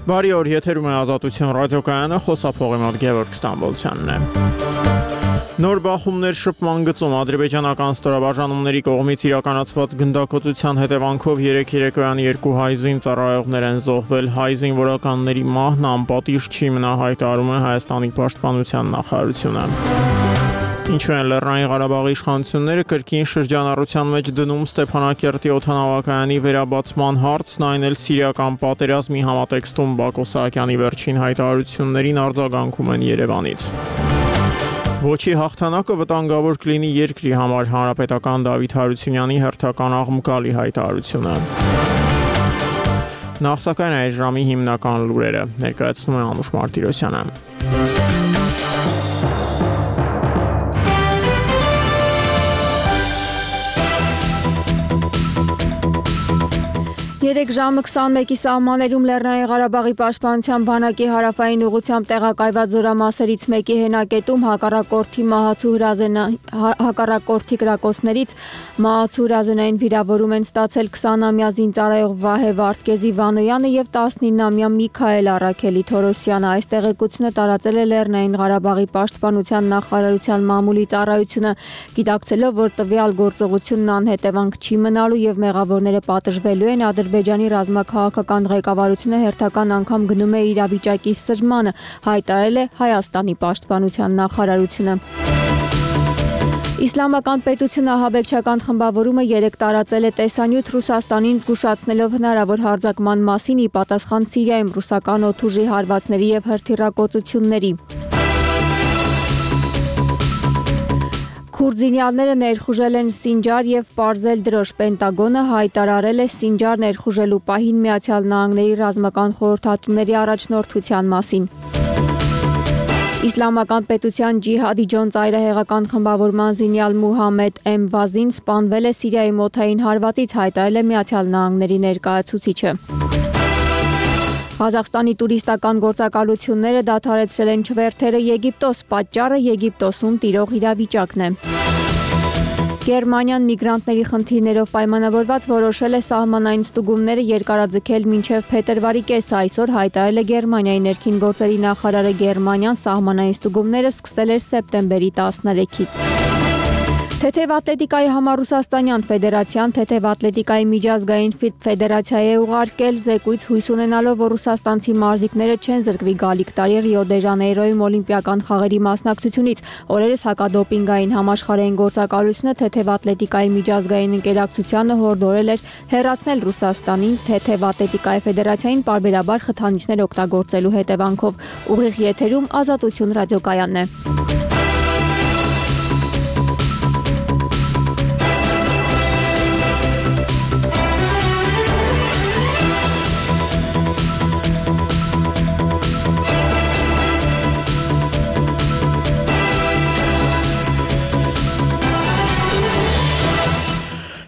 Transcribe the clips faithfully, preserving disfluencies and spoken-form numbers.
Բարի օր, եթերում է Ազատություն ռադիոկայանը, խոսափողի մոտ Գևորգ Ստամբոլցյանն է։ Նոր բախումներ շփման գծում ադրբեջանական ստորաբաժանումների կողմից իրականացված գնդակոծության հետևանքով երեք երեկոյան երկու հայ զինծառայողներ են զոհվել։ Հայ զինվորականների մահն անպատիժ չի մնա, հայտարարում է Հայաստանի պաշտպանության նախարարությունը։ Ինչու են Լեռնային Ղարաբաղի իշխանությունները կրկին շրջանառության մեջ դնում Ստեփանակերտի օդանավակայանի վերաբացման հարցն, այն էլ սիրիական պատերազմի համատեքստում Բակո Սահակյանի վերջին հայտարարություններին արձագանքում են Երևանից։ Ոչի հաղթանակը վտանգավոր կլինի երկրի համար, հանրապետական Դավիթ Հարությունյանի հերթական աղմկալի հայտարարությունը։ Նախ սակայն այս ժամի հիմնական լուրերը ներկայացնում է Անուշ Մարտիրոսյանը։ Երեք ժամը քսանմեկի սահմաններում Լեռնային Ղարաբաղի պաշտպանության բանակի հարավային ուղղությամբ տեղակայված զորամասերից մեկի հենակետում հակառակորդի մահացու հակառակորդի կրակոցներից մահացու հրազենային վիրավորում են ստացել քսանամյա զինծառայող Վահե Վարդգեզի Վանոյանը եւ տասնինամյա Միքայել Առաքելի Թորոսյանը։ Այս տեղեկությունը տարածել է Լեռնային Ղարաբաղի պաշտպանության նախարարության մամուլի ծառայությունը, գիտակցելով, որ տվյալ գործողությունն անհետևանք չի մնալու եւ մեղավորները պատժվելու են։ Ադրբեջանի ռազմաքաղաքական ղեկավարությունը հերթական անգամ գնում է իրավիճակի սրմանը, հայտարարել է Հայաստանի պաշտպանության նախարարությունը։ Իսլամական պետություն ահաբեկչական խմբավորումը երեկ տարածել է տեսանյութ Ռուսաստանին զգուշացնելով հնարավոր հարձակման մասին՝ ի պատասխան Սիրիայում ռուսական օդուժի հարվածների եւ հրթիռակոծությունների։ Քուրդզինյալները ներխուժել են Սինջար եւ պարզել դրոշ։ Պենտագոնը հայտարարել է Սինջար ներխուժելու պահին Միացյալ Նահանգների ռազմական խորհրդատուների առաջնորդության մասին։ Իսլամական պետության ջիհադի ջոն ծայրահեղական խմբավորման զինյալ Մուհամեդ Էմ Վազին սպանվել է Սիրիայի մոթային հարվածից, հայտարարել է Միացյալ Նահանգների ներկայացուցիչը։ Ղազախստանի տուրիստական գործակալությունները դադարեցրել են չվերթերը Եգիպտոս, պատճառը Եգիպտոսում տիրող իրավիճակն է։ Գերմանիան միգրանտների խնդիրներով պայմանավորված որոշել է սահմանային ստուգումները երկարաձգել մինչև փետրվարի կեսը, այսօր հայտարարել է Գերմանիայի ներքին գործերի նախարարը։ Գերմանիան սահմանային ստուգումները սկսել էր սեպտեմբերի տասներեքից։ Թեթև ատլետիկայի համար Ռուսաստանյան ֆեդերացիան թեթև ատլետիկայի միջազգային ֆեդերացիայի է ուղարկել զեկույց, հույս ունենալով, որ ռուսաստանցի մարզիկները չեն զրկվի գալիք տարի Ռիո դե Ժանեյրոյում օլիմպիական խաղերի մասնակցությունից։ Օրերս հակադոպինգային համաշխարհային գործակալությունը թեթև ատլետիկայի միջազգային ընկերակցությանը հորդորել էր հեռացնել Ռուսաստանին թեթև ատլետիկայի ֆեդերացիային պարբերաբար խթանիչներ օգտագործելու հետևանքով։ Ուղիղ եթերում Ազատություն ռադիոկայանն է։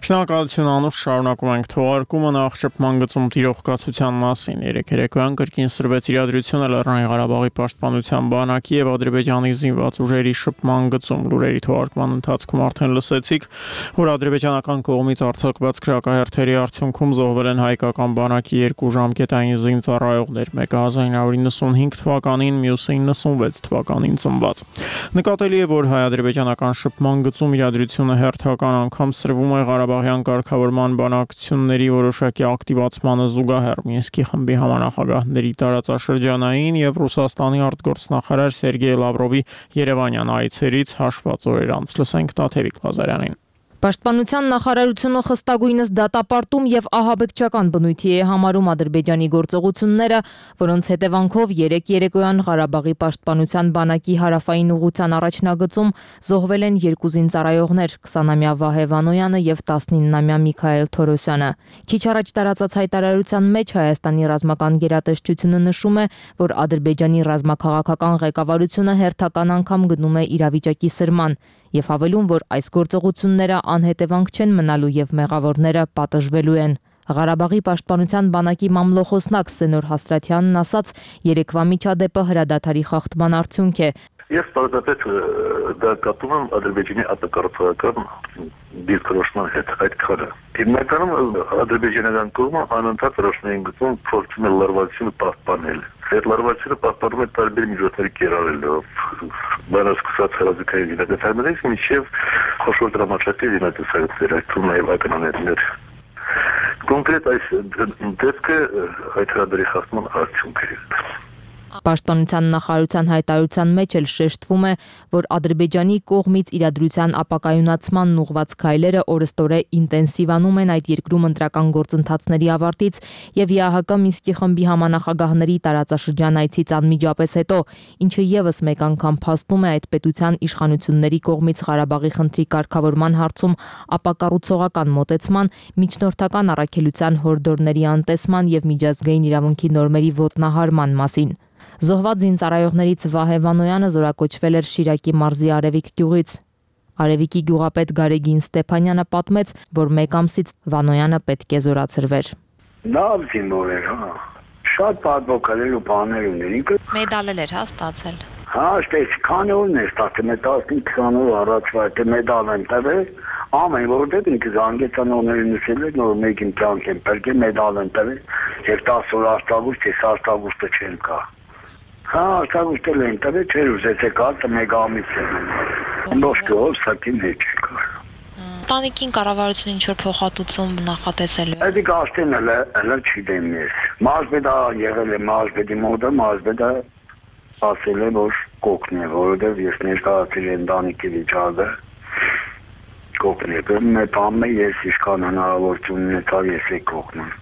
Շնորհակալություն Անուշ, շարունակում ենք թողարկումը նախ շփման գծում տիրող կացության մասին։ Երեք երեկոյան կրկին սրվեց իրադրությունը Լեռնային Ղարաբաղի պաշտպանության բանակի եւ Ադրբեջանի զինված ուժերի շփման գծում։ Լուրերի թողարկման ընթացքում արդեն լսեցիք, որ ադրբեջանական կողմից արձակված քրակահերթերի արդյունքում զոհվել են հայկական բանակի երկու ժամկետային զինծառայողներ, մեկը հազար նույն հարյուր նվաթ թվականին, մյուսը նվաթ թվականին ծնված։ Նկատելի է, որ հայ-ադրբեջանական շփման գծում իրադրությունը հերթական անգամ սրվում է Ղարաբաղյան կարգավորման բանակցությունների որոշակի ակտիվացմանը զուգահեռ։ Մինսկի խմբի համանախագահների տարածաշրջանային եւ Ռուսաստանի արտգործնախարար Սերգեյ Լավրովի Երևանյան այցերից հաշված օրեր անց լսենք Տաթևիկ Ղազարյանին։ Պաշտպանության նախարարությունը խստագույնս դատապարտում եւ ահաբեկչական բնույթի է համարում Ադրբեջանի գործողությունները, որոնց հետևանքով երեք երեկոյան Ղարաբաղի պաշտպանության բանակի հարավային ուղղության առաջնագծում զոհվել են երկու զինծառայողներ՝ քսանամյա Վահե Վանոյանը եւ տասնինամյա Միքայել Թորոսյանը։ Քիչ առաջ տարածած հայտարարության մեջ Հայաստանի ռազմական գերատեսչությունը նշում է, որ Ադրբեջանի ռազմաքաղաքական ղեկավարությունը հերթական անգամ գնում է իրավիճակի սրման եւ հավելում, որ այս գործողությունները անհետևանք չեն մնալու եւ մեղավորները պատժվելու են։ Ղարաբաղի պաշտպանության բանակի մամլոխոսնակ Սենոր Հաստրատյանն ասաց, երեկվա միջադեպը հրադադարի խախտման արդյունք է։ Ես պարզապես դա կապում եմ Ադրբեջանի ապակարգական դիրքորոշման հետ այդ քարը։ Հիմնականում ադրբեջանական կողմը անընդհատ ռոսներին գծում փորձում է լարվածությունը պահպանել։ Այդ լարվածությունը պահպանում է տարբեր միջոցների կիրառելով, բանասկսած հրաձգային զինատեսակներից մինչև խոշոր դրամաչափի զինատեսակներ, այդ թվում նաև ականանետներ։ Կոնկրետ այս դեպքը այդ հրադարի խախտման արդյունք է։ Պաշտպանության նախարարության հայտարարության մեջ էլ շեշտվում է, որ Ադրբեջանի կողմից իրադրության ապակայունացման ուղղված քայլերը օրըստօրե ինտենսիվանում են այդ երկրում ընտրական գործընթացների ավարտից եւ ԵԱՀԿ Մինսկի խմբի համանախագահների տարածաշրջան այցից անմիջապես հետո, ինչը եւս մեկ անգամ փաստում է այդ պետության իշխանությունների կողմից Ղարաբաղի խնդրի կարգավորման հարցում ապակառուցողական մոտեցման, միջնորդական առաքելության հորդորների անտեսման եւ միջազգային իրավունքի նորմերի ոտնահարման մասին։ Զոհված զինծառայողներից Վահե Վանոյանը զորակոչվել էր Շիրակի մարզի Արևիկ գյուղից։ Արևիկի գյուղապետ Գարեգին Ստեփանյանը պատմեց, որ մեկ ամսից Վանոյանը պետք է զորացրվեր։ Լավ զինվոր էր, հա։ Շատ պատվոքալել ու բաներ ուներ ինքը։ Մեդալել էր, հա, ստացել։ Հա, ստես քանի օրն է ստացել, տասնհինգ օր առաջվա այդ մեդալ են տվել։ Ամեն որտեղ ինքը զանգեցանողներին նշել էր, որ մեկին կյանք են բերել, մեդալ են տվել, եւ տասը օր աշտագուստ, ես աշտագուստը չեմ կա։ Հա, աշտագուստը են տվել, չէր ուզեցե կարծը մեկ ամիս է։ Ոչ գոհ սակին հետ չկա։ Տանիքին կառավարությունը ինչ որ փոխհատուցում նախատեսել է։ Այդ գաստեն էլ էլ չգիտեմ ես։ Մազբեդա եղել է մազբեդի մոդը, մազբեդա ասել է որ կոկն է, որովհետև ես ներկայացրի ընտանիքի վիճակը։ Կոկն է, մեր բամը ես իշքան հնարավորություն ունեցավ ես է կոկնում։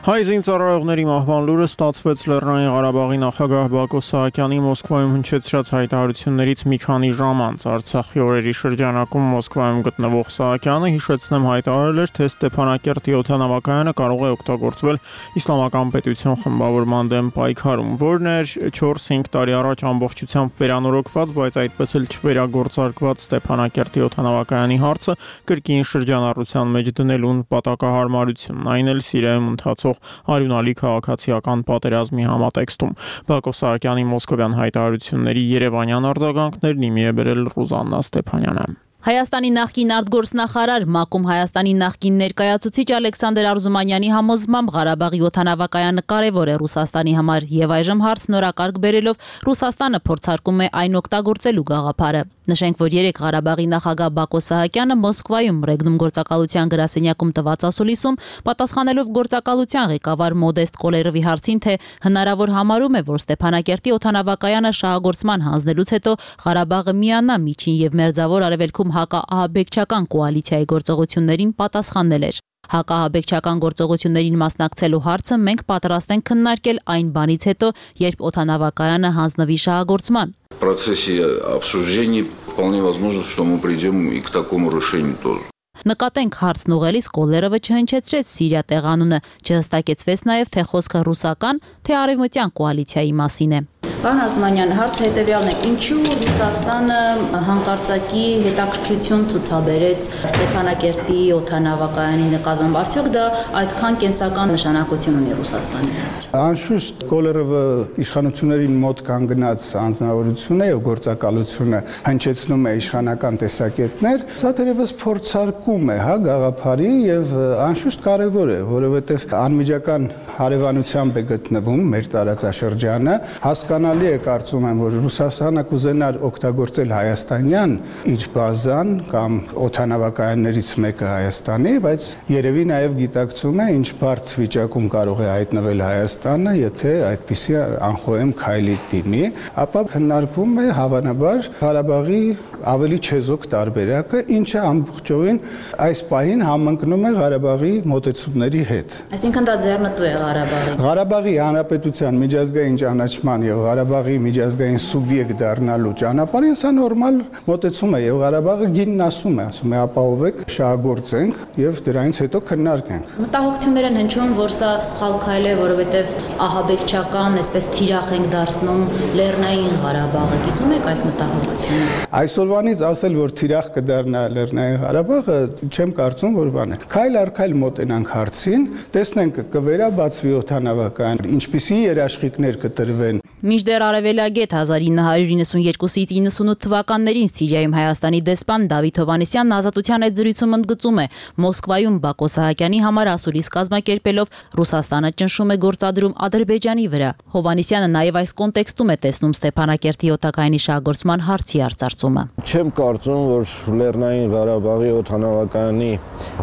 Հայ զինծառայողների մահվան լուրը ստացվեց Լեռնային Ղարաբաղի նախագահ Բակո Սահակյանի Մոսկվայում հնչեցրած հայտարարություններից մի քանի ժամ անց։ Արցախի օրերի շրջանակում Մոսկվայում գտնվող Սահակյանը հիշեցնեմ հայտարարել էր, թե Ստեփանակերտի օդանավակայանը կարող է օգտագործվել Իսլամական պետություն խմբավորման դեմ պայքարում, որն էր չորս-հինգ տարի առաջ ամբողջությամբ վերանորոգված, բայց այդպես էլ չվերագործարկված Ստեփանակերտի օդանավակայանի հարցը կրկին շրջանառության մեջ դնելուն պատակահարմարությունն, այն էլ Սիրիայում ընթացող արյունալի քաղաքացիական պատերազմի համատեքստում։ Բակո Սահակյանի մոսկովյան հայտարարությունների երևանյան արձագանքներն իմի է բերել Ռուզաննա Ստեփանյանը։ Հայաստանի նախկին արտգործնախարար ՄԱԿ-ում Հայաստանի նախկին ներկայացուցիչ Ալեքսանդր Արզումանյանի համոզմամբ Ղարաբաղի օդանավակայանը կարևոր է Ռուսաստանի համար եւ այժմ հարցն օրակարգ բերելով Ռուսաստանը փորձարկում է այն օգտագործելու գաղափարը։ Նշենք, որ երեք Ղարաբաղի նախագահ Բակո Սահակյանը Մոսկվայում Ռեգնում գործակալության գրասենյակում տված ասուլիսում պատասխանելով գործակալության ղեկավար Մոդեստ Կոլերովի հարցին, թե հնարավոր համարում է, որ Ստեփանակերտի օդանավակայանը շահագործման հանձնելուց հետո Ղարաբաղը միանա միջին եւ մերձավոր արևելքում հակաահաբեկչական կոալիցիայի գործողություններին, պատասխանել էր. Հակաահաբեկչական գործողություններին մասնակցելու հարցը մենք պատրաստ ենք քննարկել այն բանից հետո, երբ օդանավակայանը հանձնվի շահագործման։ В процессе обсуждений вполне возможно, что мы придем и к такому решению тоже. Նկատենք հարցն ուղղելիս Կոլերովը չհնչեցրեց Սիրիա տեղանունը, չհստակեցվեց նաև թե խոսքը ռուսական, թե արևմտյան կոալիցիայի մասին է։ Պարոն Արզումանյան, հարցը հետևյալն է. ինչու Ռուսաստանը հանկարծակի հետաքրքրություն ցուցաբերեց Ստեփանակերտի օդանավակայանի նկատմամբ, արդյոք դա այդքան կենսական նշանակություն ունի Ռուսաստանի համար։ Անշուշտ Կոլերովը իշխանություններին մոտ կանգնած անձնավորություն է եւ գործակալությունը հնչեցնում է իշխանական տեսակետներ, սա թերևս փորձարկում է, հա, գաղափարի եւ անշուշտ կարեւոր է, որովհետեւ անմիջական հարևանությամբ է գտնվում մեր տարածաշրջանը, հասկանալի է կարծում եմ, որ Ռուսաստանը կուզենար օգտագործել հայաստանյան իր բազան կամ օդանավակայաններից մեկը Հայաստանի, բայց երևի նաև գիտակցում է, ինչ բարդ վիճակում կարող է հայտնվել Հայաստանը, եթե այդպիսի անխոհեմ քայլի դիմի, ապա քննարկվում է հավանաբար Ղարաբաղի ավելի չեզոք տարբերակը, ինչը ամբողջովին այս պահին համընկնում է Ղարաբաղի մոտեցումների հետ։ Այսինքն դա ձեռնտու է Ղարաբաղի։ Ղարաբաղի հանրապետության միջազգային ճանաչման եւ Ղարաբաղի միջազգային սուբյեկտ դառնալու ճանապարհին սա նորմալ մոտեցում է եւ Ղարաբաղը գինն ասում է, ասում է ապահովեք, շահագործենք եւ դրանից հետո քննարկենք։ Մտահոգություններ են հնչում, որ սա սխալ քայլ է, որովհետեւ ահաբեկչական, այսպես թիրախ ենք դարձնում Լեռնային Ղարաբաղը։ Կիսում եք այս մտահոգությունը։ Այսօրվանից ասել, որ թիրախ կդառնա Լեռնային Ղարաբաղը, չեմ կարծում, որ բան է։ Քայլ առ քայլ մոտենանք հարցին, տեսնենք կվերաբացվի օդանավակայան, ինչպիսի երաշխիքներ կտրվեն Մինչդեռ արևելագետ հազար ինը հարյուր իննսունյոթից իննսունութ թվականներին Սիրիայում Հայաստանի դեսպան Դավիթ Հովհաննիսյանն Ազատության այդ զրույցում ընդգծում է Մոսկվայում Բակո Սահակյանի համար ասուլիս կազմակերպելով Ռուսաստանը ճնշում է գործադրում Ադրբեջանի վրա։ Հովհաննիսյանը նաև այս կոնտեքստում է տեսնում Ստեփանակերտի օդակայանի շահգործման հարցի արծարծումը։ Չեմ կարծում, որ Լեռնային Ղարաբաղի օդանավակայանի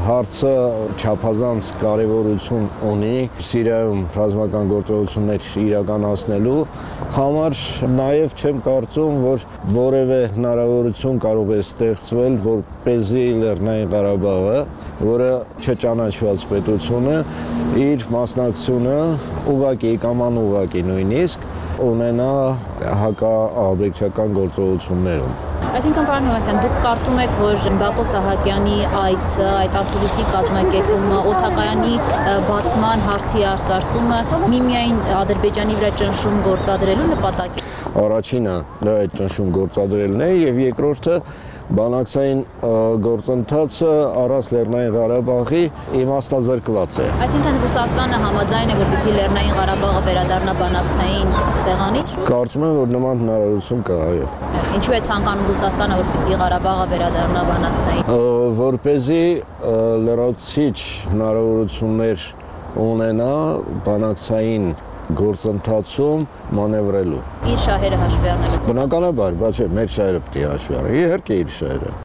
հարցը չափազանց կարևորություն ունի Սիրիայում ռազմական գործողություններ իրականացնելու համար, նաև չեմ կարծում, որ որևէ հնարավորություն կարող է ստեղծվել, որպեսզի Լեռնային Ղարաբաղը, որը չճանաչված պետություն է, իր մասնակցությունը ուղղակի կամ անուղղակի նույնիսկ ունենա հակաահաբեկչական գործողություններում։ Այսինքն, պարոն Հովհաննիսյան, դուք կարծում եք, որ Բակո Սահակյանի այցը, այդ ասուլիսի կազմակերպումը, օդակայանի բացման հարցի արծարծումը միմիայն Ադրբեջանի վրա ճնշում գործադրելու նպատակ է։ Առաջինը դա այդ ճնշում գործադրելն է, եւ երկրորդը բանակցային գործընթացը առանց Լեռնային Ղարաբաղի իմաստազրկված է։ Այսինքն Ռուսաստանը համաձայն է, որպեսզի Լեռնային Ղարաբաղը վերադառնա բանակցային սեղանի շուրջ։ Կարծում եմ, որ նման հնարավորություն կա, այո։ Ինչու է ցանկանում Ռուսաստանը, որպեսզի Ղարաբաղը վերադառնա բանակցային։ Որպեսզի լրացուցիչ հնարավորություններ ունենա բանակցային գործընթացում մանևրելու։ Իր շահերը հաշվի առնելով։ Բնականաբար, բայց մեր շահերը պետք է հաշվի առնել։ Իհարկե իր շահերը։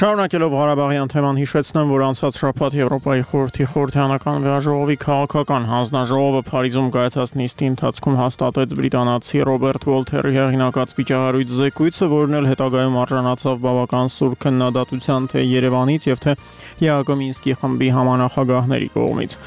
Շարունակելով Ղարաբաղյան թեման հիշեցնեմ, որ անցած շաբաթ Եվրոպայի խորհրդի խորհրդանական վեաժողովի քաղաքական հանձնաժողովը Փարիզում կայացած նիստի ընթացքում հաստատեց բրիտանացի Ռոբերտ Ուոլթերի հեղինակած վիճահարույց զեկույցը, որն էլ հետագայում արժանացավ բավական սուր քննադատության թե Երևանից եւ թե ԵԱՀԿ Մինսկի խմբի համանախագահների կողմից։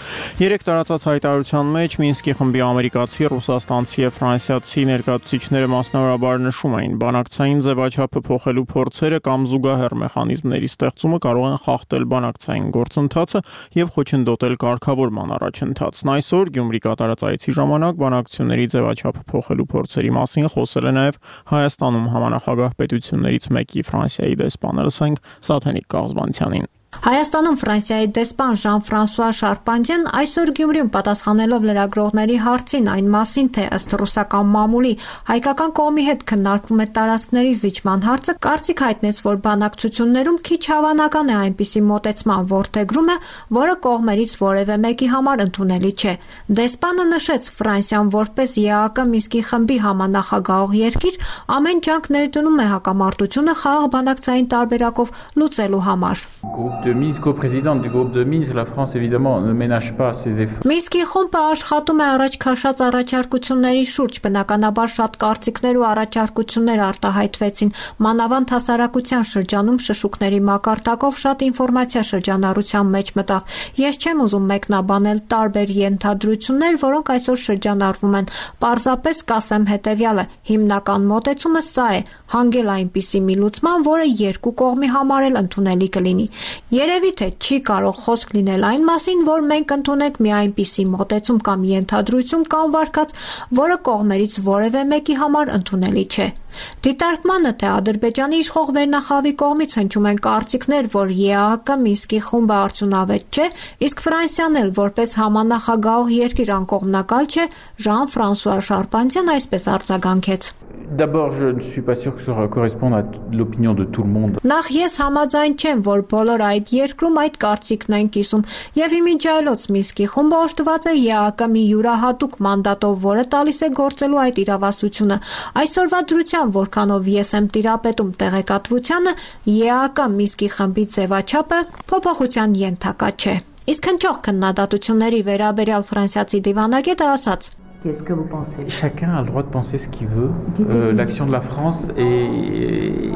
Երեք տարածած հայտարարության մեջ Մինսկի խմբի ամերիկացի, ռուսաստանցի եւ ֆրանսիացի ներկայացուցիչները մասնավորաբար նշում էին, բանակցային ձևաչափը փոխելու փորձերը կամ զուգահեռ մեխանիզմների ստեղծումը կարող են խախտել բանակցային գործընթացը եւ խոչընդոտել կարգավորման առաջընթացն։ Այսօր Գյումրի կատարած այցի ժամանակ բանակցությունների ձևաչափը փոխելու փորձերի մասին խոսել է նաեւ Հայաստանում համանախագահ պետություններից մեկի Ֆրանսիայի դեսպանը, լսենք Սաթենիկ Կաղզբանցյանին։ Հայաստանում Ֆրանսիայի դեսպան Ժան-Ֆրանսուଆ Շարպանջեն այսօր Գյումրիում պատասխանելով լրագրողների հարցին այն մասին, թե ըստ ռուսական մամուլի հայկական կողմի հետ քննարկվում է տարածքների զիջման հարցը, կարծիք հայտնեց, որ բանակցություններում քիչ հավանական է այնպիսի մոտեցման որդեգրումը, որը կողմերից որևէ մեկի համար ընդունելի չէ։ Դեսպանը նշեց, Ֆրանսիան որպես ԵԱՀԿ Մինսկի խմբի համանախագահող երկիր ամեն ջանք ներդնում է հակամարտությունը խաղաղ բանակցային տարբերակով լուծելու համար։ De Minsk, co-présidente du groupe de Minsk, la France évidemment ne ménage pas ses efforts. Մինսկի խումբը աշխատում է առաջ քաշած առաջարկությունների շուրջ, բնականաբար շատ կարծիքներ ու առաջարկություններ արտահայտվեցին, մանավանդ հասարակության շրջանում շշուկների մակարդակով շատ ինֆորմացիա շրջանառության մեջ մտավ։ Ես չեմ ուզում մեկնաբանել տարբեր ենթադրություններ, որոնք այսօր շրջանառվում են։ Պարզապես կասեմ հետևյալը. հիմնական մոտեցումը սա է՝ հանգել այնպիսի մի լուծման, որը երկու կողմի համար էլ ընդունելի կլինի։ Երևի թե չի կարող խոսք լինել այն մասին, որ մենք ընդունենք մի այնպիսի մոտեցում կամ ենթադրություն կամ վարկած, որը կողմերից որևէ մեկի համար ընդունելի չէ։ Դիտարկմանը, թե Ադրբեջանի իշխող վերնախավի կողմից հնչում են կարծիքներ, որ ԵԱՀԿ Մինսկի խումբը արդյունավետ չէ, իսկ Ֆրանսիան էլ որպես համանախագահող երկիր անկողմնակալ չէ, Ժան-Ֆրանսուଆ Շարպանջեն այսպես արձագանքեց։ D'abord, je ne suis pas sûr que ça corresponde à l'opinion de tout le monde. Նախ ես համաձայն չեմ, որ բոլոր այդ երկրում այդ կարծիքն են կիսում, եւ իմիջայլոց Մինսկի խումբը օժտված է ԵԱՀԿ մի յուրահատուկ մանդատով, որը տալիս է գործելու այդ իրավասությունը։ Այսօրվա դրությամբ, որքանով ես եմ տիրապետում տեղեկատվությանը, ԵԱՀԿ Մինսկի խմբի ձևաչափը փոփոխության ենթակա չէ։ Իսկ հնչող քննադատությունների վերաբերյալ ֆրանսիացի դիվանագետը ասաց. Qu'est-ce que vous pensez? Chacun a le droit de penser ce qu'il veut. Euh, l'action de la France est...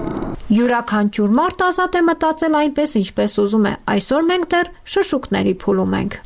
Յուրաքանչյուր մարդ ազատ է մտածել այնպես, ինչպես ուզում է։ Այսօր մենք դեռ շշուկների փուլում ենք։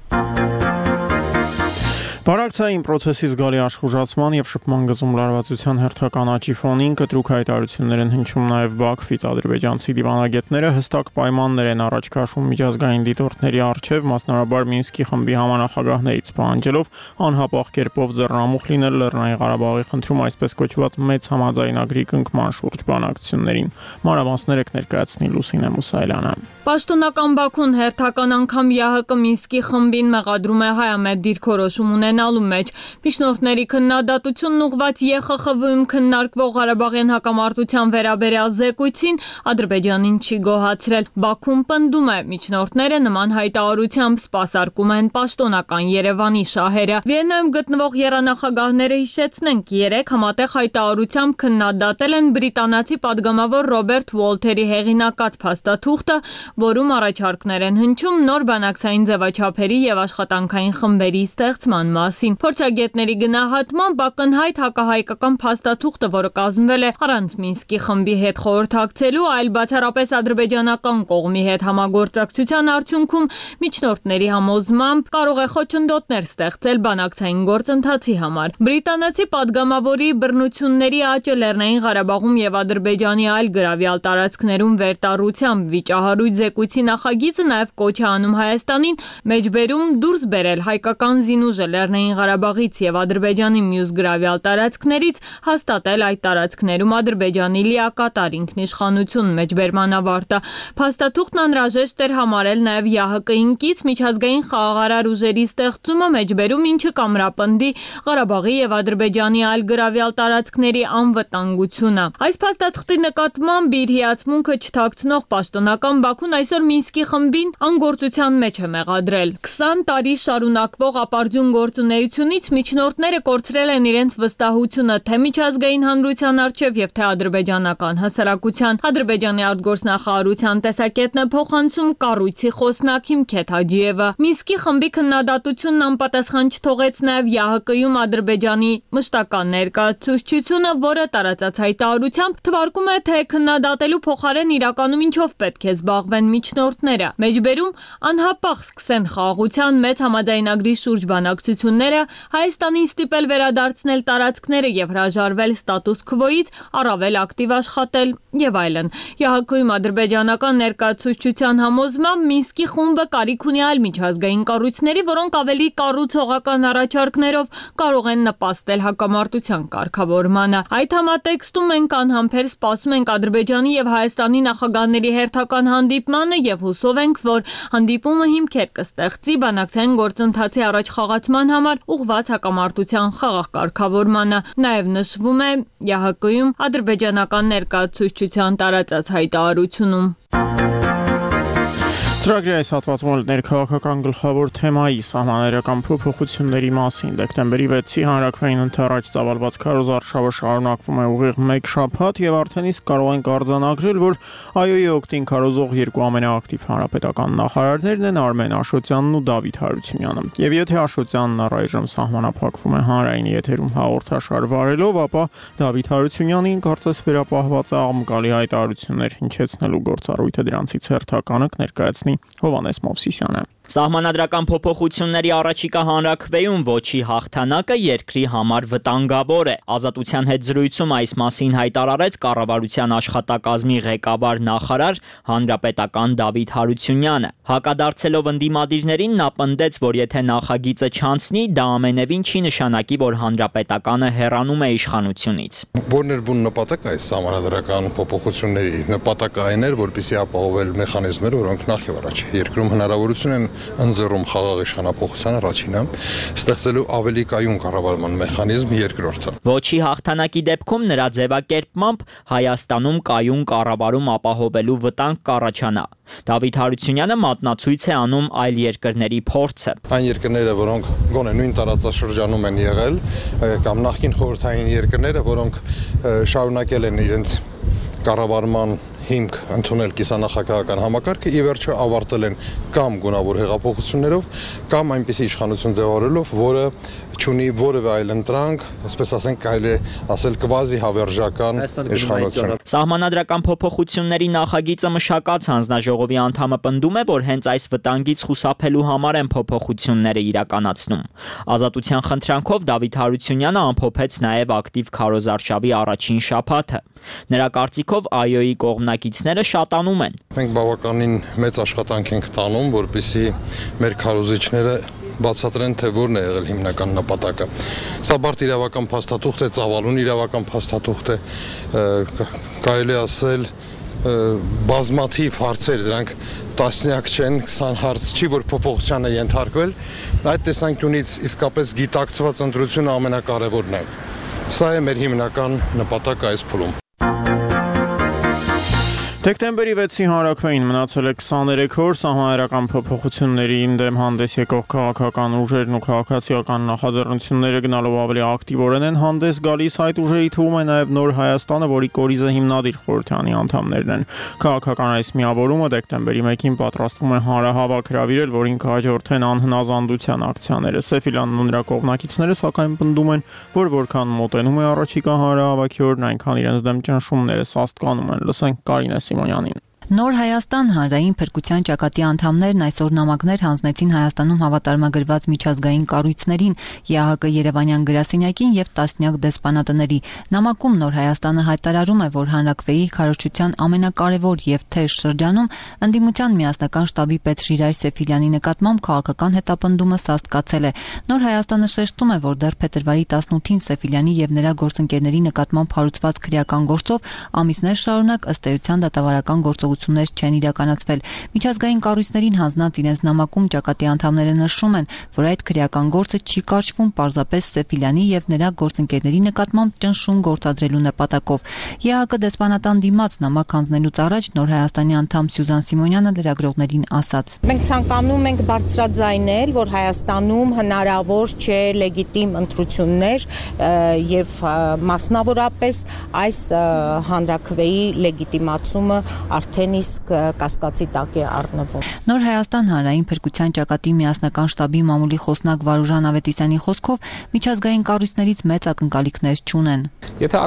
Բանակցային process-ի զգալի աշխուժացման եւ շփման գծում լարվածության հերթական աճի ֆոնին կտրուկ հայտարարություններ են հնչում նաեւ Բաքվից ադրբեջանցի դիվանագետները հստակ պայմաններ են առաջ քաշում միջազգային դիտորդների առջեւ, մասնավորաբար Մինսկի խմբի համանախագահներից պահանջելով անհապաղ կերպով ձեռնամուխ լինել Լեռնային Ղարաբաղի խնդրում այսպես կոչված մեծ համաձայնագրի կնքման շուրջ բանակցություններին։ Մանրամասները կներկայացնի Լուսինե Մուսայելյանը։ Պաշտոնական Բաքուն հերթական անգամ ԵԱՀԿ Մինսկի խմբին մեղադրում է հայամետ դիրքորոշում ունենալու մեջ։ Միջնորդների քննադատությունն ուղղված ԵԽԽՎ-ում քննարկվող Ղարաբաղյան հակամարտության վերաբերյալ զեկույցին Ադրբեջանին չի գոհացրել։ Բաքուն պնդում է, միջնորդները նման հայտարարությամբ սպասարկում են պաշտոնական Երևանի շահերը։ Վիեննայում գտնվող եռանախագահները հիշեցնենք, երեք համատեղ հայտարարությամբ քննադատել են բրիտանացի падգամավոր Ռոբերտ Ուոլթերի հեղինակած փաստաթուղթը, որում առաջարկներ են հնչում նոր բանակցային ձևաչափերի եւ աշխատանքային խմբերի ստեղծման մասին։ Փորձագետների գնահատմամբ ակնհայտ հակահայկական փաստաթուղթը, որը կազմվել է առանց Մինսկի խմբի հետ խորհրդակցելու, այլ բացառապես ադրբեջանական կողմի հետ համագործակցության արդյունքում միջնորդների համոզմամբ կարող է խոչընդոտներ ստեղծել բանակցային գործընթացի համար։ Բրիտանացի падգամավորի բռնությունների աճը Լեռնային Ղարաբաղում եւ Ադրբեջանի այլ գրավյալ տարածքներում վերտառությամբ վիճահարույց զեկույցի նախագիծը նաև կոչ է անում Հայաստանին մեջբերում դուրս բերել հայկական զինուժը Լեռնային Ղարաբաղից եւ Ադրբեջանի մյուս գրավյալ տարածքներից, հաստատել այդ տարածքներում Ադրբեջանի լիակատար ինքնիշխանություն մեջբերման ավարտը։ Փաստաթուղթն անհրաժեշտ էր համարել նաև ԵԱՀԿ-ին կից միջազգային խաղաղարար ուժերի ստեղծումը մեջբերում, ինչը կամրապնդի Ղարաբաղի եւ Ադրբեջանի այլ գրավյալ տարածքների անվտանգությունը։ Այս փաստաթղթի նկատմամբ իր հիացմունքը չթաքցնող պաշտոնական Բաքուն այսօր Մինսկի խմբին անգործության մեջ է մեղադրել։ քսան տարի շարունակվող ապարդյուն գործունեությունից միջնորդները կորցրել են իրենց վստահությունը թե միջազգային հանրության առջև եւ թե ադրբեջանական հասարակության։ Ադրբեջանի արտգործնախարարության տեսակետն է փոխանցում կառույցի խոսնակ Հիմքեթ Հաջիևը։ Մինսկի խմբի քննադատությունն անպատասխան չթողեց նաեւ ԵԱՀԿ-ում Ադրբեջանի մշտական ներկայացուցչությունը, որը տարածած հայտարարությամբ թվարկում է, թե քննադատելու փոխարեն իրականում ինչով պետք է զբաղվեն միջնորդները։ Մեջբերում անհապաղ սկսեն խաղաղության մեծ համաձայնագրի շուրջ բանակցությունները, Հայաստանին ստիպել վերադարձնել տարածքները եւ հրաժարվել ստատուս քվոից, առավել ակտիվ աշխատել եւ այլն։ ԵԱՀԿ-ում ադրբեջանական ներկայացուցչության համոզմամբ Մինսկի խումբը կարիք ունի այլ միջազգային կառույցների, որոնք ավելի կառուցողական առաջարկներով կարող են նպաստել հակամարտության կարգավորմանը։ Այդ համատեքստում մենք անհամբեր սպասում ենք Ադրբեջանի եւ Հայաստանի նախագահների հերթական հանդիպմանը եւ հուսով ենք, որ հանդիպումը հիմքեր կստեղծի բանակցային գործընթացի առաջ խաղացման համար ուղղված հակամարտության խաղաղ կարգավորմանը։ Նաեւ նշվում է ԵԱՀԿ-ում ադրբեջանական ներկայացուցչության տարածած հայտարարությունում։ Ծրագրի այս հատվածում ներքաղաքական գլխավոր թեմայի սահմանադրական փոփոխությունների մասին դեկտեմբերի վեցի հանրաքվեին ընթരാճ ծավալված քարոզարշավը շարունակվում է ուղիղ մեկ շաբաթ եւ արդեն իսկ կարող ենք արձանագրել, որ ԱՅՈ-ի օգտին քարոզող երկու ամենաակտիվ հանրապետական նախարարներն են Արմեն Աշոտյանն ու Դավիթ Հարությունյանը։ Եվ եթե Աշոտյանն առայժմ սահմանափակվում է հանրային եթերում հաղորդաշար վարելով, ապա Դավիթ Հարությունյանին կարծես վերապահված է աղմկալի հայտարարություններ հնչեցնելու գործառույթը դրանցից հերթականը կներկայացնի Հովանես Մովսիսյանը։ Սահմանադրական փոփոխությունների առաջիկա հանրաքվեում ոչի հաղթանակը երկրի համար վտանգավոր է։ Ազատության հետ զրույցում այս մասին հայտարարեց կառավարության աշխատակազմի ղեկավար նախարար հանրապետական Դավիթ Հարությունյանը։ Հակադարձելով ընդդիմադիրներին նա պնդեց, որ եթե նախագիծը չանցնի, դա ամենևին չի նշանակի, որ հանրապետականը հեռանում է իշխանությունից։ Որն էր բուն նպատակ այս սահմանադրական փոփոխությունների նպատակը այն էր, որպեսզի ապահովել մեխանիզմներ, որոնք նախ եւ առաջ երկրում հնարավորություն են ընձեռում խաղաղ իշխանափոխության առաջինը, ստեղծելու ավելի կայուն կառավարման մեխանիզմ երկրորդը։ Ոչի հաղթանակի դեպքում նրա ձևակերպմամբ Հայաստանում կայուն կառավարում ապահովելու վտանգ կառաջանա։ Դավիթ Հարությունյանը մատնացույց է անում այլ երկրների փորձը։ Այն երկրները, որոնք գոնե նույն տարածաշրջանում են եղել, կամ նախկին խորհրդային երկրները, որոնք շարունակել են իրենց կառավարման հիմք ընդունել կիսանախագահական համակարգը, ի վերջո ավարտել են կամ գունավոր հեղափոխություններով, կամ այնպիսի իշխանություն ձևավորելով, որը չունի որևէ այլ ընտրանք, այսպես ասենք, կարելի է ասել կվազի հավերժական իշխանություն։ Սահմանադրական փոփոխությունների նախագիծը մշակած հանձնաժողովի անդամը պնդում է, որ հենց այս վտանգից խուսափելու համար են փոփոխությունները իրականացնում։ Ազատության խնդրանքով Դավիթ Հարությունյանը ամփոփեց նաև ակտիվ քարոզարշավի առաջին շաբաթը։ Նրա կարծիքով ԱՅՈ-ի կողմնակիցները շատանում են։ Մենք բավականին մեծ աշխատանք ենք տանում, որպեսզի մեր քարոզիչները բացատրեն, թե որն է եղել հիմնական նպատակը։ Սա բարդ իրավական փաստաթուղթ է, ծավալուն իրավական փաստաթուղթ է, կարելի ասել բազմաթիվ հարցեր, դրանք տասնյակ չեն, քսան հարց չի, որ փոփոխության է ենթարկվել, այդ տեսանկյունից իսկապես գիտակցված ընտրությունը ամենակարևորն է։ Սա է մեր հիմնական նպատակը այս փուլում։ Դեկտեմբերի վեցի հանրաքվեին մնացել է քսաներեք օր, սահմանադրական փոփոխություններին դեմ հանդես եկող քաղաքական ուժերն ու քաղաքացիական նախաձեռնությունները գնալով ավելի ակտիվորեն են հանդես գալիս, այդ ուժերի թվում է նաև Նոր Հայաստանը, որի կորիզը հիմնադիր խորհրդանի անդամներն են։ Քաղաքական այս միավորումը դեկտեմբերի մեկին պատրաստվում է հանրահավաք հրավիրել, որին կհաջորդեն անհնազանդության ակցիաները։ Սեֆիլյանն ու նրա կողմնակիցները սակայն պնդում են, որ որքան մոտենում է առաջիկա հանրահավաքի օրն, այնքան իրենց դեմ ճնշումները սաստկանում են։ Լսենք Կարինե Սիմոնյանին։ Նոր Հայաստան հանրային փրկության ճակատի անդամներն այսօր նամակներ հանձնեցին Հայաստանում հավատարմագրված միջազգային կառույցներին, ԵԱՀԿ Երևանյան գրասենյակին եւ տասնյակ դեսպանատների։ Նամակում Նոր Հայաստանը հայտարարում է, որ հանրաքվեի քարոզչության ամենակարևոր եւ թեժ շրջանում ընդդիմության միասնական շտաբի պետ Ժիրայր Սեֆիլյանի նկատմամբ քաղաքական հետապնդումը սաստկացել է։ Նոր Հայաստանը շեշտում է, որ դեռ փետրվարի տասնութին Սեֆիլյանի եւ նրա գործընկերների նկատմամբ հարուցված քրեական գործով ամիսներ շարունակ ըստ էության դատավարական գործողություններ չեն իրականացվել։ Միջազգային կառույցներին հանձնած իրենց նամակում ճակատի անդամները նշում են, որ այդ քրեական գործը չի կարճվում պարզապես Սեֆիլյանի եւ նրա գործընկերների նկատմամբ ճնշում գործադրելու նպատակով։ ԵԱՀԿ դեսպանատան դիմաց նամակ հանձնելուց առաջ Նոր Հայաստանի անդամ Սյուզան Սիմոնյանը լրագրողներին ասաց. Մենք ցանկանում ենք բարձրաձայնել, որ Հայաստանում հնարավոր չէ լեգիտիմ ընտրություններ եւ մասնավորապես այս հանրաքվեի լեգիտիմացումը արդեն իսկ կասկածի տակ է առնվում։ Նոր Հայաստան հանրային փրկության ճակատի միասնական շտաբի մամուլի խոսնակ Վարուժան Ավետիսյանի խոսքով միջազգային կառույցներից մեծ ակնկալիքներ չունեն։ Եթե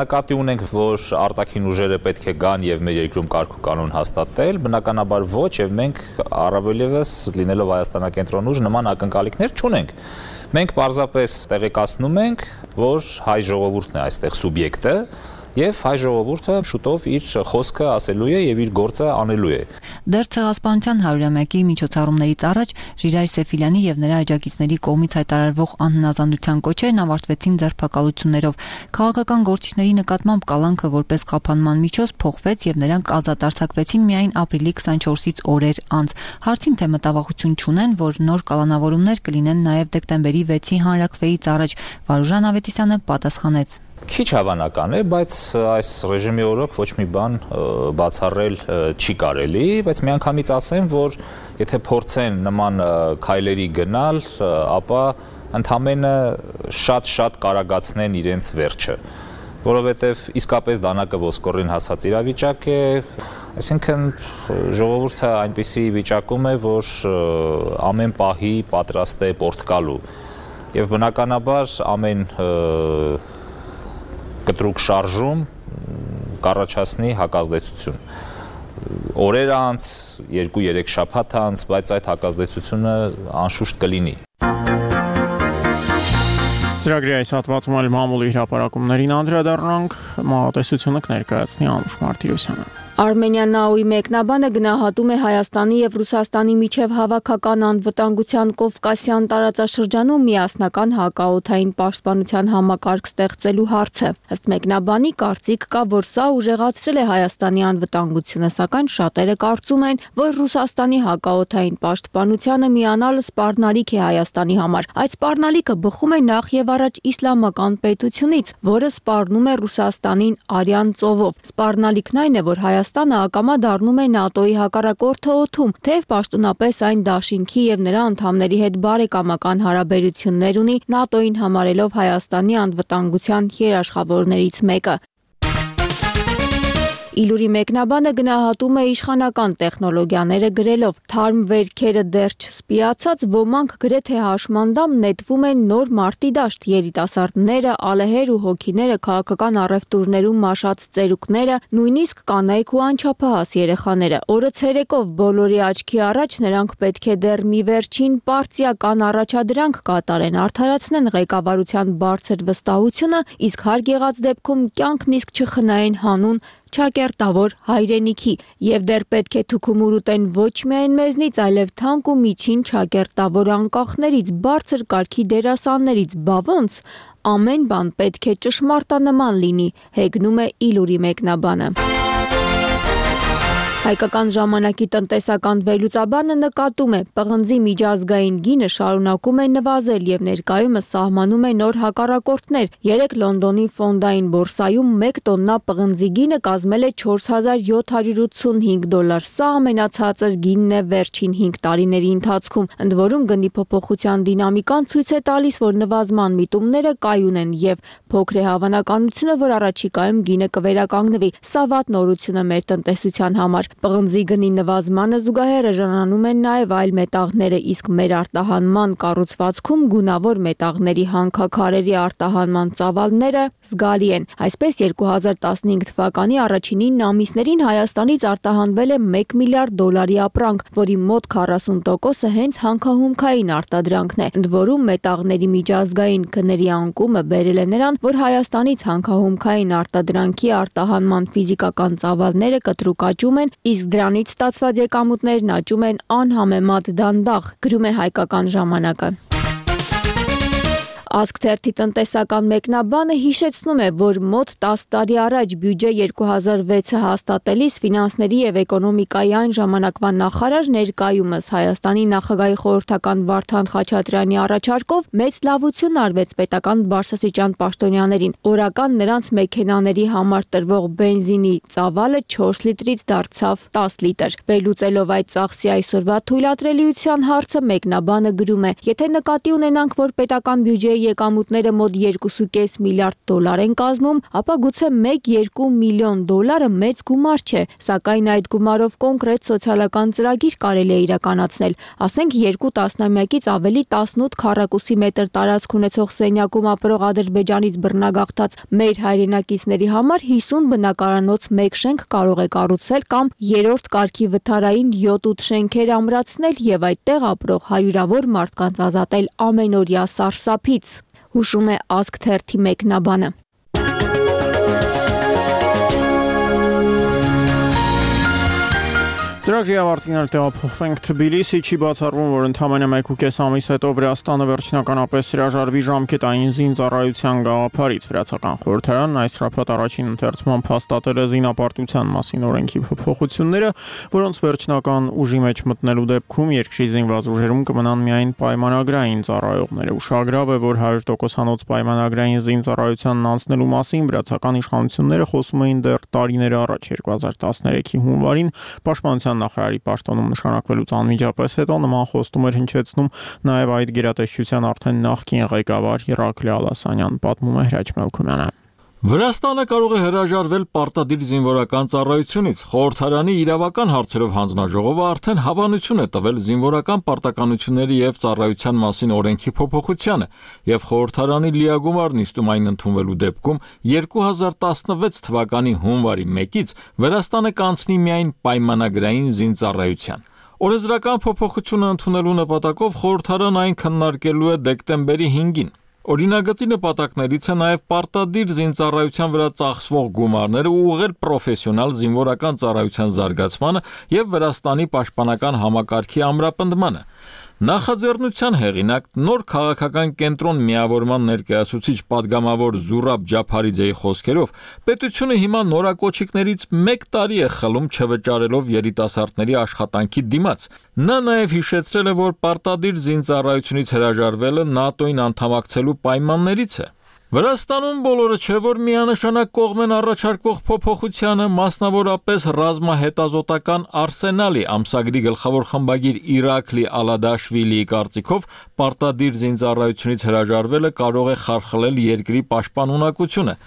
նկատի ունենք, որ արտաքին ուժերը պետք է գան եւ մեր երկրում կարգ ու կանոն հաստատել, բնականաբար ոչ, եւ մենք առավելևս լինելով Հայաստանակենտրոն ուժ նման ակնկալիքներ չունենք։ Մենք պարզապես տեղեկացնում ենք, որ հայ ժողովուրդն է այստեղ սուբյեկտը եւ հայ ժողովուրդը շուտով իր խոսքը ասելու է եւ իր գործը անելու է։ Դեռ ցեղասպանության հարյուրամյակի միջոցառումներից առաջ Ժիրայր Սեֆիլյանի եւ նրա աջակիցների կողմից հայտարարվող անհնազանդության կոչերն ավարտվեցին ձերբակալություններով։ Քաղաքական գործիչների նկատմամբ կալանքը որպես խափանման միջոց փոխվեց եւ նրանք ազատ արձակվեցին միայն ապրիլի քսանչորսից օրեր անց։ Հարցին թե մտավախություն չունեն, որ նոր կալանավորումներ կլինեն նաեւ դեկտեմբերի վեցի հանրաքվեից առաջ, Վարուժան Ավետիսյանը պատասխանեց. Քիչ հավանական է, բայց այս ռեժիմի օրոք ոչ մի բան բացառել չի կարելի, բայց միանգամից ասեմ, որ եթե փորձեն նման քայլերի գնալ, ապա ընդամենը շատ-շատ կարագացնեն իրենց վերջը, որովհետև իսկապես դանակը ոսկորին հասած իրավիճակ է, այսինքն ժողովուրդը այնպիսի վիճակում է, որ ամեն պահի պատրաստ է պորտկալու եւ բնականաբար ամեն կտրուկ շարժում կառաջացնի հակազդեցություն։ Օրեր անց, երկու-երեք շաբաթ անց, բայց այդ հակազդեցությունը անշուշտ կլինի։ Ծրագրի այս հատվածում էլ մամուլի հրապարակումներին անդրադառնանք, մանրատեսությունը կներկայացնի Անուշ Մարտիրոսյանը։ Արմենիան ՆԱՕ-ի մեկնաբանը գնահատում է Հայաստանի եւ Ռուսաստանի միջև հավաքական անվտանգության Կովկասյան տարածաշրջանում միասնական հակաօդային պաշտպանության համակարգ ստեղծելու հարցը։ Ըստ մեկնաբանի կարծիք կա, որ սա ուժեղացրել է Հայաստանի անվտանգությունը, սակայն շատերը կարծում են, որ Ռուսաստանի հակաօդային պաշտպանությանը միանալը սպառնալիք է Հայաստանի համար։ Այդ սպառնալիքը բխում է նախ եւ առաջ իսլամական պետությունից, որը սպառնում է Ռուսաստանին Արյան ծովով։ Սպառնալիքն այն է, որ Հայաստանը ակամա դառնում է ՆԱՏՕ-ի հակառակորդը օդում, թեև պաշտոնապես այն դաշինքի եւ նրա անդամների հետ բարեկամական հարաբերություններ ունի, ՆԱՏՕ-ին համարելով Հայաստանի անվտանգության երաշխավորներից մեկը։ Իլուրի մեկնաբանը գնահատում է իշխանական տեխնոլոգիաները գրելով. թարմ վերքերը դեռ չսպիացած, ոմանք գրեթե հաշմանդամ նետվում են նոր մարտի դաշտ, երիտասարդները, ալեհեր ու հոգիները, քաղաքական առևտուրներում մաշած ծերուկները, նույնիսկ կանայք ու անչափահաս երեխաները։ Օրը ցերեկով բոլորի աչքի առաջ նրանք պետք է դեռ մի վերջին պարտիական առաջադրանք կատարեն, արդարացնեն ղեկավարության բարձր վստահությունը, իսկ հարկ եղած դեպքում կյանքն իսկ չխնայեն հանուն ճակերտավոր հայրենիքի եւ դեռ պետք է թուքումուր ուտեն ոչ միայն մեզնից, այլև թանկ ու միջին ճակերտավոր անկախներից, բարձր կարգի դերասաններից, բա ոնց ամեն բան պետք է ճշմարտանման լինի, հեգնում է Իլուրի մեկնաբանը։ Հայկական ժամանակի տնտեսական վերլուծաբանը նկատում է, պղնձի միջազգային գինը շարունակում է նվազել եւ ներկայումս սահմանում է նոր հակառակորդներ։ Երեկ Լոնդոնի ֆոնդային բորսայում մեկ տոննա պղնձի գինը կազմել է չորս հազար յոթ հարյուր ութսունհինգ դոլար։ Սա ամենացածր գինն է վերջին հինգ տարիների ընթացքում։ Ընդ որում գնի փոփոխության դինամիկան ցույց է տալիս, որ նվազման միտումները կայուն են եւ փոքր է հավանականությունը, որ առաջիկայում գինը կվերականգնվի։ Սա վատ նորություն է մեր տնտեսության համար։ Պղնձի գնի նվազմանը զուգահեռ ժանանում են նաև այլ մետաղները, իսկ մեր արտահանման կառուցվածքում գունավոր մետաղների հանքաքարերի արտահանման ծավալները զգալի են։ Այսպես երկու հազար տասնհինգ թվականի առաջին ինը ամիսներին Հայաստանից արտահանվել է մեկ միլիարդ դոլարի ապրանք, որի մոտ քառասուն տոկոսը հենց հանքահումքային արտադրանքն է։ Ընդ որում մետաղների միջազգային գների անկումը բերել է նրան, որ Հայաստանից հանքահումքային արտադրանքի արտահանման ֆիզիկական ծավալները կտրուկ աճում են, իսկ դրանից ստացված եկամուտներն աճում են անհամեմատ դանդաղ, գրում է Հայկական ժամանակը։ Ազգ թերթի տնտեսական մեկնաբանը հիշեցնում է, որ մոտ տասը տարի առաջ բյուջե երկու հազար վեցը հաստատելիս ֆինանսների եւ էկոնոմիկայի այն ժամանակվա նախարար ներկայումս Հայաստանի նախագահի խորհրդական Վարդան Խաչատրյանի առաջարկով մեծ լավություն արվեց պետական բարձրաստիճան պաշտոնյաներին։ Օրական նրանց մեքենաների համար տրվող բենզինի ծավալը չորս լիտրից դարձավ տասը լիտր։ Վերլուծելով այդ ծախսի այսօրվա թույլատրելիության հարցը մեկնաբանը գրում է. եթե նկատի ունենանք, որ պետական բյուջեի եկամուտները մոտ երկու կόμμα պենս միլիարդ դոլար են կազմում, ապա գուցե մեկ երկու միլիոն դոլարը մեծ գումար չէ, սակայն այդ գումարով կոնկրետ սոցիալական ծրագիր կարելի է իրականացնել։ Ասենք երկու տասնամյակից ավելի տասնութ քառակուսի մետր տարածք ունեցող սենյակում ապրող Ադրբեջանից բռնագաղթած մեր հայրենակիցների համար հիսուն բնակարանոց մեկ շենք կարող է կառուցել կամ երրորդ կարգի վթարային յոթ ութ շենքեր ամրացնել եւ այդտեղ ապրող հարյուրավոր մարդկանց ազատել ամենօրյա սարսափից, հուշում է Ազգ թերթի մեկնաբանը։ Ծրագրի ավարտին տեղափոխվենք Թբիլիսի, չի բացառվում, որ ընդամենը մեկ ու կես ամիս հետո Վրաստանը վերջնականապես հրաժարվի ժամկետային զինծառայության գաղափարից։ Վրացական խորհրդարանն այս շաբաթ առաջին ընթերցման հաստատել է զինապարտության մասին օրենքի փոփոխությունները, որոնց վերջնական ուժի մեջ մտնելու դեպքում երկրի զինված ուժերում կմնան միայն պայմանագրային ծառայողները։ Ուշագրավ է, որ հարյուր տոկոսանոց պայմանագրային զինծառայությանն անցնելու մասին վրացական իշխանությունները խոսում էին դեռ տարիներ առաջ երկու հազար տասներեքի հունվարին պաշտպանության նախարարի պաշտոնում նշանակվելուց անմիջապես հետո նման խոստում էր հնչեցնում նաև այդ գերատեսչության արդեն նախկին ղեկավար Իռաքլի Ալասանյան, պատմում է Հրաչ Մելքումյանը։ Վրաստանը կարող է հրաժարվել պարտադիր զինվորական ծառայությունից։ Խորհրդարանի իրավական հարցերով հանձնաժողովը արդեն հավանություն է տվել զինվորական պարտականությունների եւ ծառայության մասին օրենքի փոփոխությանը, եւ խորհրդարանի լիագումար նիստում այն ընդունվելու դեպքում երկու հազար տասնվեց թվականի հունվարի մեկից Վրաստանը կանցնի միայն պայմանագրային զինծառայության։ Օրենսդրական փոփոխությունը ընդունելու նպատակով խորհրդարանը այն քննարկելու է դեկտեմբերի հինգին։ Օրինագծի նպատակներից է նաև պարտադիր զինծառայության վրա ծախսվող գումարները ուղղել պրոֆեսիոնալ զինվորական ծառայության զարգացմանը եւ Վրաստանի պաշտպանական համակարգի ամրապնդմանը։ Նախաձեռնության հեղինակ նոր քաղաքական կենտրոն միավորման ներկայացուցիչ падգամավոր Զուրաբ Ջափարիձեի խոսքերով պետությունը հիմա նորակոչիկներից մեկ տարի է խլում չվճարելով երիտասարդների աշխատանքի դիմաց։ Նա նաև հիշեցրել է, որ պարտադիր զինծառայությունից հրաժարվելը ՆԱՏՕ-ին անդամակցելու պայմաններից է։ Վրաստանում բոլորը չէ, որ միանշանակ կողմ են առաջարկվող փոփոխությանը, մասնավորապես ռազմահետազոտական արսենալի ամսագրի գլխավոր խմբագիր Իռաքլի Ալադաշվիլիի կարծիքով պարտադիր զինծառայությունից հրաժարվելը կարող է խարխլել երկրի պաշտպանունակությունը։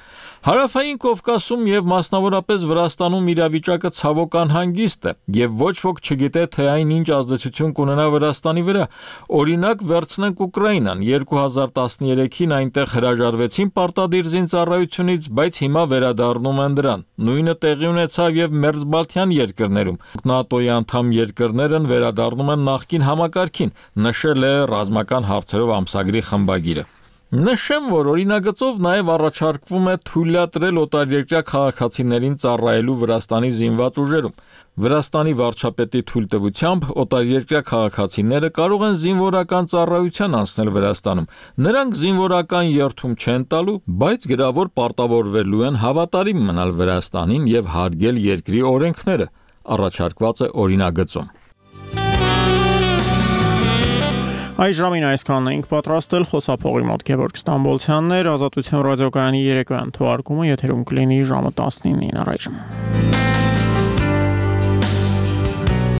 Հարավային Կովկասում եւ մասնավորապես Վրաստանում իրավիճակը ցավոք անհանգիստ է եւ ոչ ոք չգիտե թե այն ինչ ազդեցություն կունենա Վրաստանի վրա։ Օրինակ վերցնենք Ուկրաինան, երկու հազար տասներեքին այնտեղ հրաժարվեցին պարտադիր զինծառայությունից, բայց հիմա վերադառնում են դրան։ Նույնը տեղի ունեցավ եւ մերձբալթյան երկրներում։ ՆԱՏՕ-ի անդամ երկրներն վերադառնում են նախկին համակարգին, նշել է ռազմական հարցերով ամսագրի խմբագիրը։ Նշեմ, որ օրինագծով նաև առաջարկվում է թույլատրել օտարերկրյա քաղաքացիներին ծառայելու Վրաստանի զինված ուժերում։ Վրաստանի վարչապետի թույլտվությամբ օտարերկրյա քաղաքացիները կարող են զինվորական ծառայության անցնել Վրաստանում։ Նրանք զինվորական երթում չեն տալու, բայց գրավոր պարտավորվելու են հավատարիմ մնալ Վրաստանին եւ հարգել երկրի օրենքները։ առաջարկված է օրինագծում։ Այս ժամին այսքանն էինք պատրաստել, խոսափողի մոտ Գևորգ Ստամբոլցյանն էր, Ազատություն ռադիոկայանի երեկոյան թողարկումը եթերում կլինի ժամը տասնինին առայժմ։